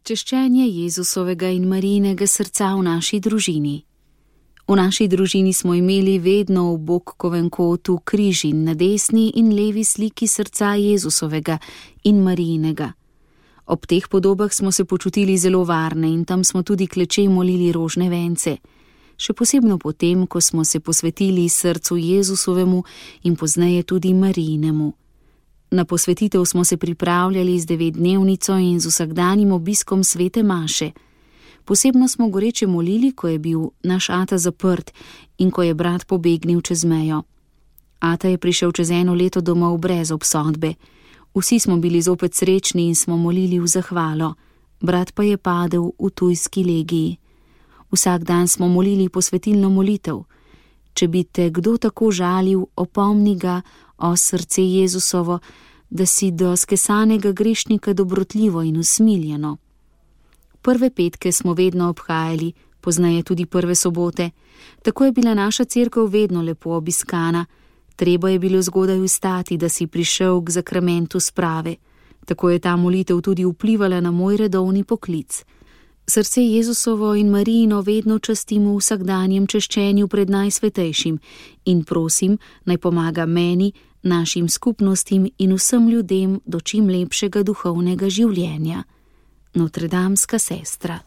Češčenje Jezusovega in Marijinega srca v naši družini. V naši družini smo imeli vedno v bokkovem kotu križ in na desni in levi sliki srca Jezusovega in Marijinega. Ob teh podobah smo se počutili zelo varne in tam smo tudi kleče molili rožne vence. Še posebno potem, ko smo se posvetili srcu Jezusovemu in pozneje tudi Marijinemu. Na posvetitev smo se pripravljali z 9-dnevnico in z vsakdanjim obiskom svete maše. Posebno smo goreče molili, ko je bil naš ata zaprt in ko je brat pobegnil čez mejo. Ata je prišel čez 1 leto domov brez obsodbe. Vsi smo bili zopet srečni in smo molili v zahvalo. Brat pa je padel v tujski legiji. Vsak dan smo molili posvetilno molitev. Če bi te kdo tako žalil, opomni ga, o srce Jezusovo, da si do skesanega grešnika dobrotljivo in usmiljeno. Prve petke smo vedno obhajali, pozneje tudi prve sobote. Tako je bila naša cerkev vedno lepo obiskana. Treba je bilo zgodaj vstati, da si prišel k zakramentu sprave. Tako je ta molitev tudi vplivala na moj redovni poklic. Srce Jezusovo in Marijino vedno častim v vsakdanjem češčenju pred Najsvetejšim in prosim, naj pomaga meni, našim skupnostim in vsem ljudem do čim lepšega duhovnega življenja. Notredamska sestra.